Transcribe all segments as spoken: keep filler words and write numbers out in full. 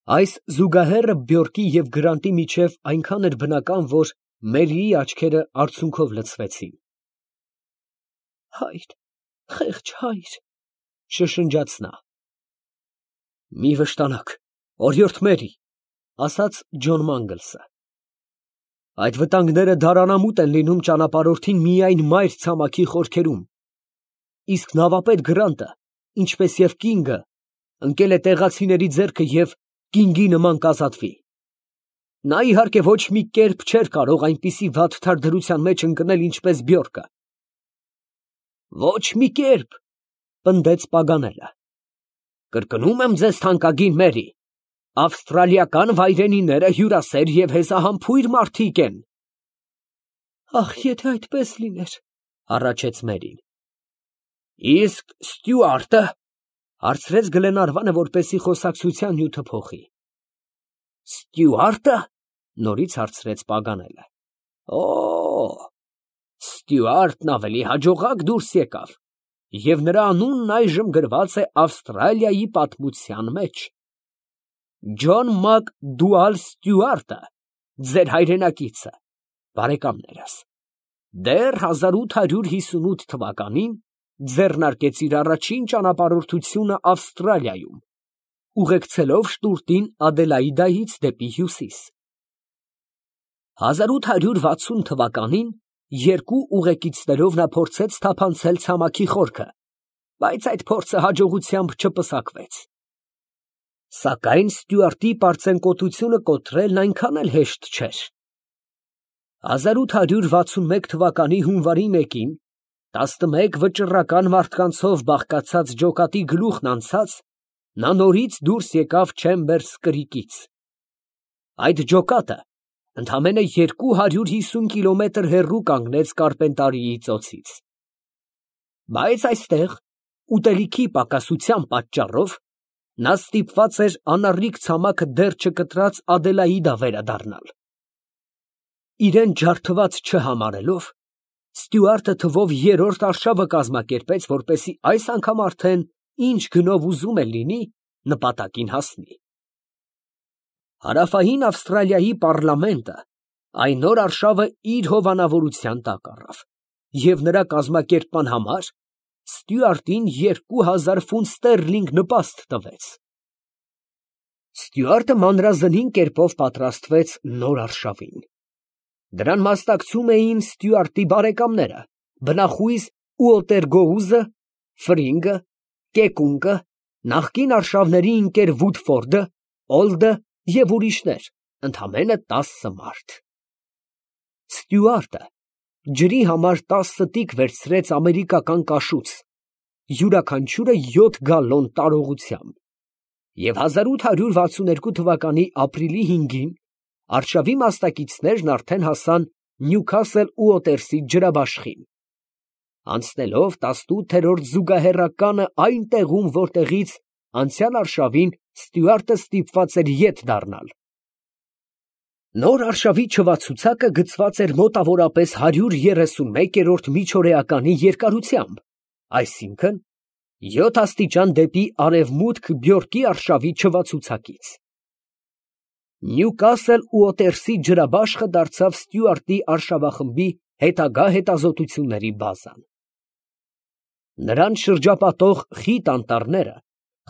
Այս զուգահեռը Բյորկի և Գրանտի միջև այնքան էր բնական, որ Մերիի աչքերը արցունքով լցվեցին։ «Հայր, խեղճ հայր», ֊ շշնջաց նա։ «Մի վշտանաք, օրիորդ Մերի», ֊ ասաց Ջոն Մանգլսը. «այդ վտանգները դարանամուտ են լինում ճանապարհորդին միայն մայր ցամաքի խորքերում, իսկ նավապետ Գրանտը, ինչպես և կինգը, ընկել է տեղացիների ձեռքը և կինգի նման կազատվի։ Նա, իհարկե, ոչ մի կերպ չէր կարող այնպիսի վատ թարդրության մեջ ընկնել, ինչպես Բյորկը»։ «Ոչ մի կերպ», ֊ պնդեց Պագանելը։ «Կրկնում եմ ձեզ, թանկագին Մերի, ավստրալիական վայրենիները հյուրասեր և հեզահամբույր մարդիկ են»։ «Ախ, եթե այդպես լիներ, ֊ հառաչեց Մերին։ ֊ Իսկ Ստյուարտը, ֊ հարցրեց Գլենարվանը, որպեսզի խոսակցության նյութը փոխի։ ֊ Ստյուարտը, ֊ նորից հարցրեց Պագանելը։ ֊ Օ, Ստյուարտն ավելի հաջողակ դուրս եկավ, և նրա անունն այժմ գրված է Ավստրալիայի պատմության մեջ։ Ջոն Մակ Դուալ Ստյուարտը, ձեր հայրենակիցը, բարեկամներս, դեռ հազար ութ հարյուր հիսունութ թվականին ձեռնարկեց իր առաջին ճանապարհորդությունը Ավստրալիայում, ուղեկցելով շտուրտին Ադելաիդայից դեպի հյուսիս։ հազար ութ հարյուր վաթսուն թվականին երկու ուղեկիցներով նա փորձեց թափանցել ցամաքի խորքը, բայց այդ փորձը հաջողությամբ չպսակվեց։ Սակայն Ստյուարտի պարծենկոտությունը կոտրելն այնքան էլ հեշտ չէր։ հազար ութ հարյուր վաթսուն մեկ թվականի հունվարի մեկին, տասնմեկ վճռական մարդկանցով բաղկացած ջոկատի գլուխն անցած, նա նորից դուրս եկավ Չեմբերս կրիկից։ Այդ ջոկատը ընդամենը երկու հարյուր հիսուն կիլոմետր հեռու կանգնեց Կարպենտարիի ծոցից։ Բայց այստեղ, ուտելիքի պակասության պատճառով, նա ստիպված էր անառիկ ցամաքը դեռ չկտրած Ադելաիդա վերադառնալ։ Իրան ջարդված չհամարելով, Ստյուարտը թվով երրորդ արշավը կազմակերպեց, որպեսզի այս անգամ արդեն ինչ գնով ուզում է լինի, նպատակին հասնի։ Հարավային Ավստրալիայի պառլամենտը այն օր արշավը իր հովանավորության տակ առավ, և նրա կազմակերպման համար Ստյուարտին երկու հազար ֆունտ ստերլինգ նպաստ տվեց։ Ստյուարտը մանրազնին կերպով պատրաստվեց նոր արշավին։ Դրան մասնակցում էին Ստյուարտի բարեկամները, բնախույզ Ուոտերգոուզը, Ֆրինգը, Կեկունգը, նախկին արշավների ընկեր Վուդֆորդը, Օլդը և ուրիշներ, ընդամենը տասը մարդ։ Ստյուարտը ջրի համար տասը տիկ վերցրեց ամերիկական կաշուց, յուրաքանչյուրը յոթ գալլոն տարողությամբ, և հազար ութ հարյուր վաթսուն երկու թվականի ապրիլի հինգին արշավի մասնակիցներն արդեն հասան Նյուքասլ Ուոտերսի ջրաբաշխին, անցնելով տասնութերորդ զուգահեռականը այն տեղում, որտեղից անցյալ արշավին Ստյուարտը ստիպված էր ետ դառնալ։ Նոր արշավի չվացուցակը գծված էր մոտավորապես հարյուր երեսունմեկերորդ միջօրեականի երկարությամբ, այսինքն՝ յոթ աստիճան դեպի արևմուտք Բյորկի արշավի չվացուցակից։ Նյուքասլ Ուոտերսի ջրաբաշխը դարձավ Ստյուարտի արշավախմբի հետագա հետազոտությունների բազան։ Նրան շրջապատող խիտ անտառները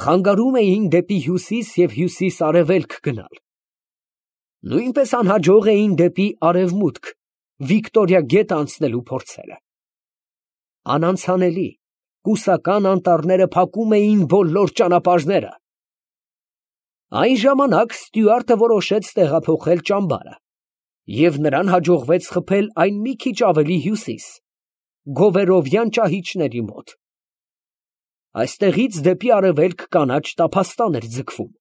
խանգարում էին դեպի հյուսիս և հյուսիս֊արևելք գնալ։ Նույնպես անհաջող էին դեպի արևմուտք Վիկտորիա գետը անցնելու փորձերը։ Անանցանելի, կուսական անտառները փակում էին բոլոր ճանապարհները։ Այն ժամանակ Ստյուարտը որոշեց տեղափոխել ճամբարը, և նրան հաջողվեց խփել այն մի քիչ ավելի հյուսիս, Գովերովյան ճահիճների մոտ։ Այստեղից դեպի արևելք կանաչ տափաստան էր ձգվում։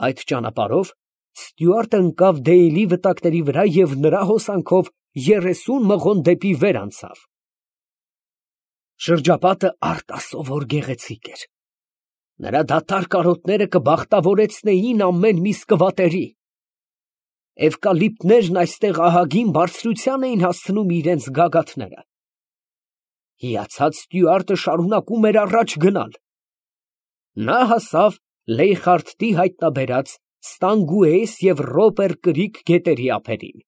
Այդ ճանապարհով Ստյուարտը ընկավ Դեյլի վտակների վրա և նրա հոսանքով երեսուն մղոն դեպի վեր անցավ։ Շրջապատը արտասովոր գեղեցիկ էր։ Նրա դատարկ կարոտները կբախտավորեցնեին ամեն մի սկվատերի։ Էվկալիպտներն այստեղ ահագին բարձրության էին հասցնում իրենց գագաթները։ Հիացած Ստյուարտը շարունակում էր առաջ գնալ։ Նա հասավ Լեյխարդտի հայտնաբերած Ստանգուես և Ռոպեր կրիք գետերի ափերին։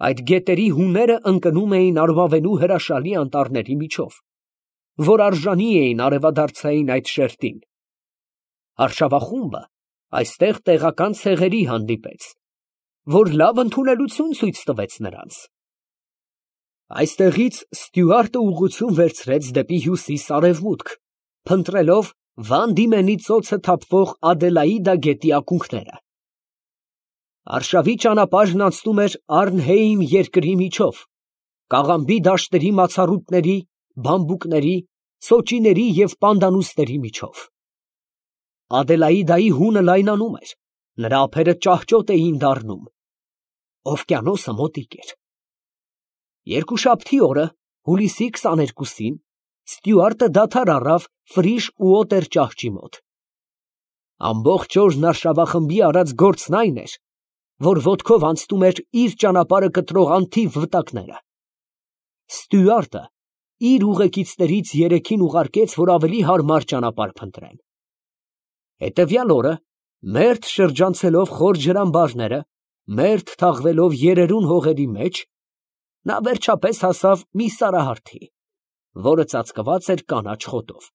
Այդ գետերի հունները ընկնում էին արմավենու հրաշալի անտառների միջով, որ արժանի էին արևադարձային այդ շերտին։ Արշավախումբը այստեղ տեղական ցեղերի հանդիպեց, որ լավ ընդունելություն ցույց տվեց նրանց։ Այստեղից Ստյուարտը ուղղություն վերցրեց դեպի հյուսիս֊արևմուտք, փնտրելով Վան Դիմենի ծոցը թափվող Ադելաիդա գետի ակունքները։ Արշավի ճանապարհն անցնում էր Արնհեիմ երկրի միջով, Կաղամբի դաշտերի մացառուտների, բամբուկների, սոճիների և պանդանուսների միջով։ Ադելաիդայի հունը լայնանում էր, նրա ափերը ճահճոտ էին դառնում։ Օվկիանոսը մոտիկ էր։ Երկուշաբթի օրը, հուլիսի քսաներկուսին, Ստյուարտը դադար առավ Ֆրիշ ու Օտեր ճահճի մոտ։ Ամբողջ օրն արշավախմբի արած գործն այն էր, որ ոտքով անցնում էր իր ճանապարհը կտրող անթիվ վտակները։ Ստյուարտը իր ուղեկիցներից երեքին ուղարկեց, որ ավելի հարմար ճանապարհ փնտրեն։ Հետևյալ օրը, մերթ շրջանցելով խոր ջրամբարները, մերթ թաղվելով երերուն հողերի մեջ, նա վերջապես հասավ մի սարահարթի, որը ծածկված էր կանաչ խոտով,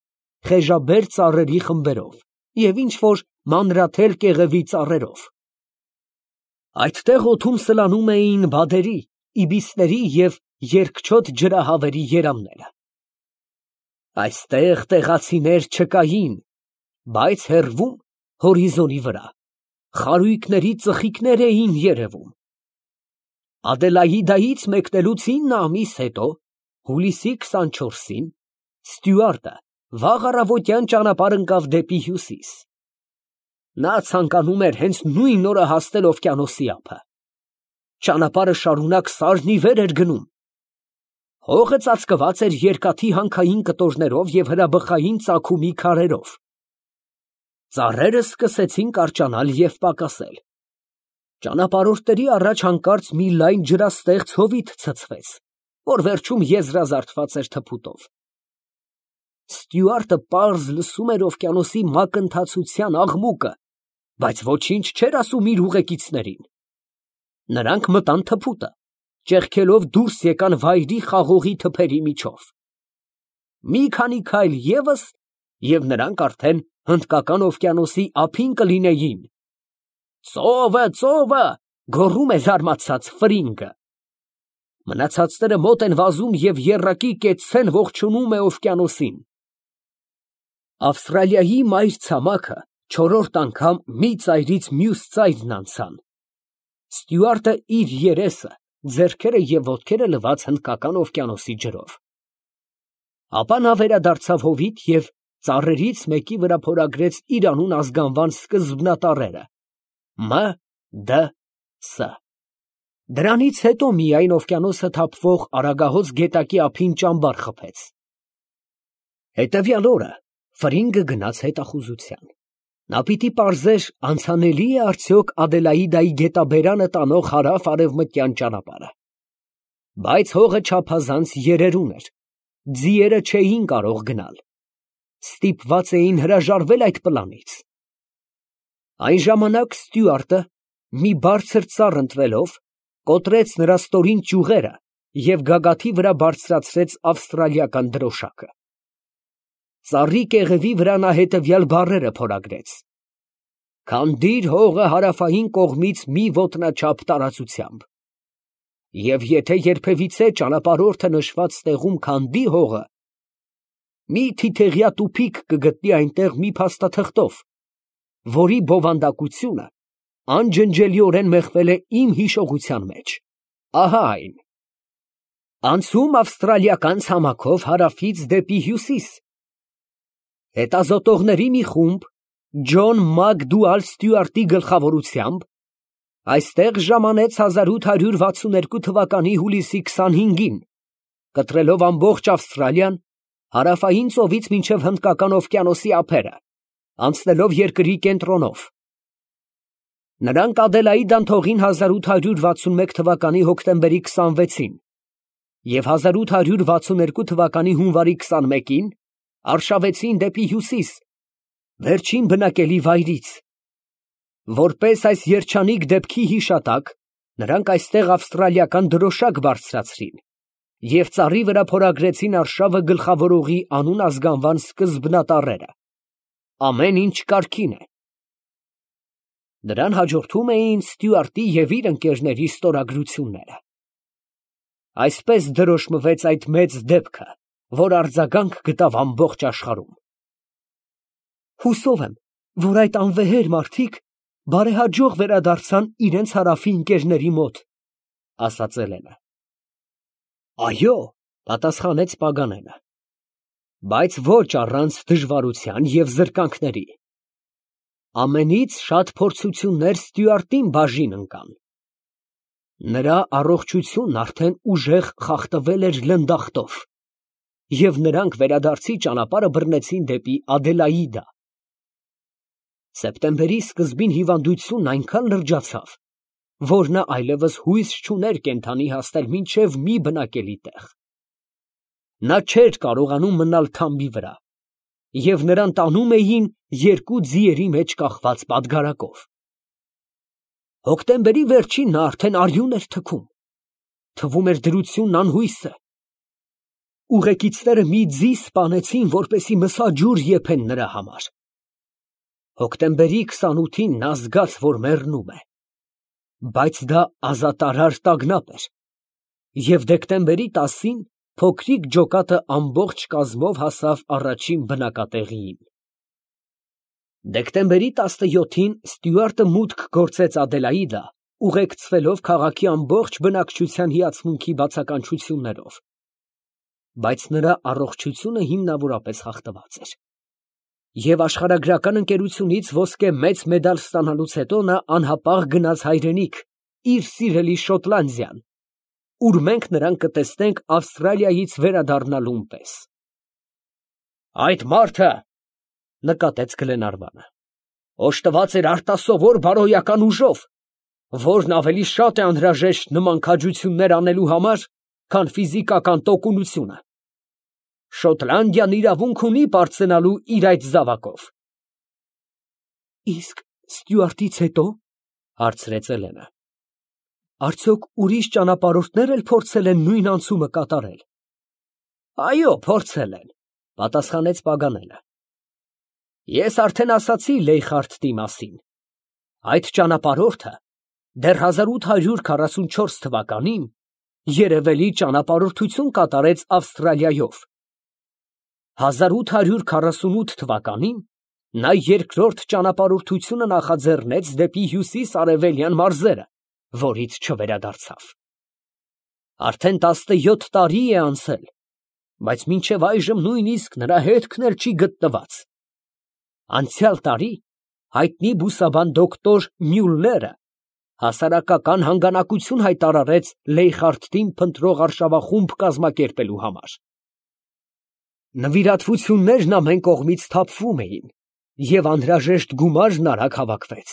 խեժաբեր ծառերի խմբերով և ինչ֊որ մանրաթել կեղևի ծառերով։ Այդտեղ օդում սլանում էին բադերի, իբիսների և երկչոտ ջրահավերի երամները։ Այստեղ տեղացիներ չկային, բայց հեռվում, հորիզոնի վրա, խարույկների ծխիկներ էին երևում։ Ադելաիդայից մեկնելուց ինը ամիս հետո, հուլիսի քսանչորսին, Ստյուարտը վաղ առավոտյան ճանապարհ ընկավ դեպի հյուսիս։ Նա ցանկանում էր հենց նույն օրը հասնել օվկիանոսի ափը։ Ճանապարհը շարունակ սարն ի վեր էր գնում։ Հողը ծածկված էր երկաթի հանքային կտորներով և հրաբխային ծագումի քարերով։ Ծառերը սկսեցին կարճանալ և պակասել։ Ճանապարհորդների առաջ հանկարծ մի լայն ջրաստեղծ հովիտ ցցվեց, որ վերջում եզրազարդված էր թփուտով։ Ստյուարտը պարզ լսում էր օվկիանոսի մակընթացության աղմուկը, բայց ոչինչ չէր ասում իր ուղեկիցներին։ Նրանք մտան թփուտը, ճեղքելով դուրս եկան վայրի խաղողի թփերի միջով։ Մի քանի քայլ ևս, և նրանք արդեն Հնդկական օվկիանոսի ափին կլինեին։ «Ծովը, ծովը», գոռում է զարմացած Ֆրինգը։ Մնացածները մոտ են վազում և եռակի կեցցեն ողջունում է օվկիանոսին։ Ավստրալիայի մայր ցամաքը չորրորդ անգամ մի ծայրից մյուս ծայրն անցան։ Ստյուարտը իր երեսը, ձեռքերը և ոտքերը լվաց Հնդկական օվկիանոսի ջրով։ Ապա նա վերադարձավ հովիտ և ծառերից մեկի վրա փորագրեց իր անուն ազգանվան սկզբնատառերը՝ Մ. Դ. Ս. Դրանից հետո միայն օվկիանոսը թափվող Արագահոս գետակի ափին ճամբար խփեց։ Հետևյալ օրը Ֆրինգը գնաց հետախուզության։ Նա պիտի պարզեր անցանելի է արդյոք Ադելաիդայի գետաբերանը տանող հարավ֊արևմտյան ճանապարհը։ Բայց հողը չափազանց երերուն էր, ձիերը չէին կարող գնալ, ստիպված էին հրաժարվել այդ պլանից։ Այն ժամանակ Ստյուարտը, մի բարձր ծառ ընտրելով, կոտրեց նրա ստորին ճյուղերը և գագաթի վրա բարձրացրեց ավստրալիական դրոշակը։ Ծառի կեղևի վրա նա հետևյալ բառերը փորագրեց. «Քանդիր հողը հարավային կողմից մի ոտնաչափ տարածությամբ, և եթե երբևիցե ճանապարհորդը նշված տեղում քանդի հողը, մի թիթեղյա տուփիկ կգտնի այնտեղ մի փաստաթղթով, որի բովանդակությունը անջնջելիորեն մեխվել է իմ հիշողության մեջ։ Ահա այն. անցում ավստրալիական ցամաքով հարավից դեպի հյուսիս։ Հետազոտողների մի խումբ Ջոն Մակդուալ Ստյուարտի գլխավորությամբ այստեղ ժամանեց հազար ութ հարյուր վաթսուններկու թվականի հուլիսի քսանհինգին, կտրելով ամբողջ Ավստրալիան, հարավային ծովից մինչև Հնդկական օվկիանոսի ափերը, անցնելով երկրի կենտրոնով։ Նրանք Ադելաիդան թողին հազար ութ հարյուր վաթսունմեկ թվականի հոկտեմբերի քսանվեցին և հազար ութ հարյուր վաթսուններկու թվականի հունվարի քսանմեկին արշավեցին դեպի հյուսիս, վերջին բնակելի վայրից։ Որպես այս երջանիկ դեպքի հիշատակ, նրանք այստեղ ավստրալիական դրոշակ բարձրացրին և ծառի վրա փորագրեցին արշավը գլխավորողի անուն ազգանվան սկզբնատառերը. ամեն ինչ կարգին է։ Նրան հաջորդում էին Ստյուարտի և իր ընկերների ստորագրությունները։ Այսպես դրոշմվեց այդ մեծ դեպքը, որ արձագանք գտավ ամբողջ աշխարհում։ Հուսով եմ, որ այդ անվեհեր մարդիկ բարեհաջող վերադարձան իրենց հարավի ընկերների մոտ, ֊ ասաց Էլենը։ Այո, ֊ պատասխանեց Պագանենը, բայց ոչ առանց դժվարության և զրկանքների։ Ամենից շատ փորձություններ Ստյուարտին բաժին ընկան։ Նրա առողջությունն արդեն ուժեղ խախտվել էր լնդախտով, և նրանք վերադարձի ճանապարհը բռնեցին դեպի Ադելաիդա։ Սեպտեմբերի սկզբին հիվանդությունն այնքան լրջացավ, որ նա այլևս հույս չուներ կենդանի հասնել մինչև մի բնակելի տեղ։ Նա չէր կարողանում մնալ թամբի վրա, և նրան տանում էին երկու ձիերի մեջ կախված պատգարակով։ Հոկտեմբերի վերջին նա արդեն արյուն էր թքում, թվում էր դրությունն անհույս է։ Ուղեկիցները մի ձի սպանեցին, որպեսզի մսաջուր եփեն նրա համար։ Հոկտեմբերի քսանութին նա զգաց, որ մեռնում է, բայց դա ազատարար տագնապ էր, և դեկտեմբերի տասին փոքրիկ ջոկատը ամբողջ կազմով հասավ առաջին բնակատեղիին։ Դեկտեմբերի տասնյոթին Ստյուարտը մուտք գործեց Ադելաիդա, ուղեկցվելով քաղաքի ամբողջ բնակչության հիացմունքի բացականչություններով, բայց նրա առողջությունը հիմնավորապես խախտված էր, և աշխարհագրական ընկերությունից ոսկե մեծ մեդալ ստանալուց հետո նա անհապաղ գնաց հայրենիք, իր սիրելի Շոտլանդիան, ուր մենք նրան կտեսնենք Ավստրալիայից վերադառնալուն պես։ Այդ մարդը, ֊ նկատեց Գլենարվանը, ֊ օժտված էր արտասովոր բարոյական ուժով, որն ավելի շատ է անհրաժեշտ նման քաջություններ անելու համար, քան ֆիզիկական տոկունությունը։ Շոտլանդիան իրավունք ունի պարծենալու իր այդ զավակով։ Իսկ Ստյուարտից հետո, ֊ հարցրեց Էլենը, ֊ արդյոք ուրիշ ճանապարհորդներ էլ փորձել են նույն անցումը կատարել։ Այո, փորձել են, ֊ պատասխանեց Պագանենը։ Ես արդեն ասացի Լեյխարդտի մասին։ Այդ ճանապարհորդը դեռ հազար ութ հարյուր քառասունչորս թվականին երևելի ճանապարհորդություն կատարեց Ավստրալիայով։ հազար ութ հարյուր քառասունութ թվականին նա երկրորդ ճանապարհորդությունը նախաձեռնեց դեպի հյուսիս֊արևելյան մարզերը, որից չվերադարձավ։ Արդեն տասնյոթ տարի է անցել, բայց մինչև այժմ նույնիսկ նրա հետքն էլ չի գտնված։ Անցյալ տարի հայտնի բուսաբան դոկտոր Մյուլլերը հասարակական հանգանակություն հայտարարեց Լեյխարդտին փնտրող արշավախումբ կազմակերպելու համար։ Նվիրատվություններն ամեն կողմից թափվում էին, և անհրաժեշտ գումարն արագ հավաքվեց։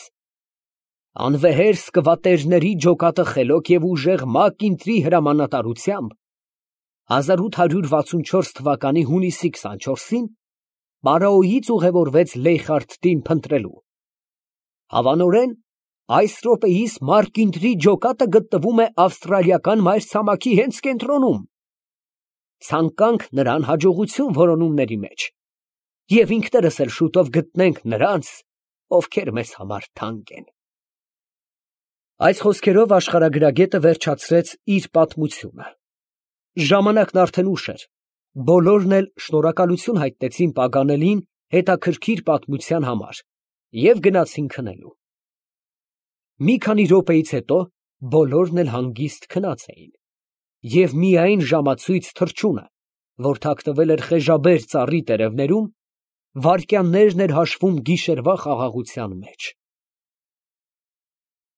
Անվեհեր սկվատերների ջոկատը խելոք և ուժեղ ՄԱԿ֊ինտրի հրամանատարությամբ հազար ութ հարյուր վաթսունչորս թվականի հունիսի քսանչորսին Պարաոյից ուղևորվեց Լեյխարդտին փնտրելու։ Հավանորեն այս րոպեիս ՄԱԿ֊ինտրի ջոկատը գտնվում է ավստրալիական մայրցամաքի հենց կենտրոնում։ Ցանկանք նրան հաջողություն որոնումների մեջ, և ինքներս էլ շուտով գտնենք նրանց, ովքեր մեզ համար թանկ են։ Այս խոսքերով աշխարհագրագետը վերջացրեց իր պատմությունը։ Ժամանակն արդեն ուշ էր, բոլորն էլ շնորհակալություն հայտնեցին Պագանելին հետաքրքիր պատմության համար և գնացին քնելու։ Մի քանի րոպեից հետո բոլորն էլ հանգիստ քնած էին, և միայն ժամացույց թռչունը, որ թաքնվել էր խեժաբեր ծառի տերևներում, վայրկյաններն էր հաշվում գիշերվա խաղաղության մեջ։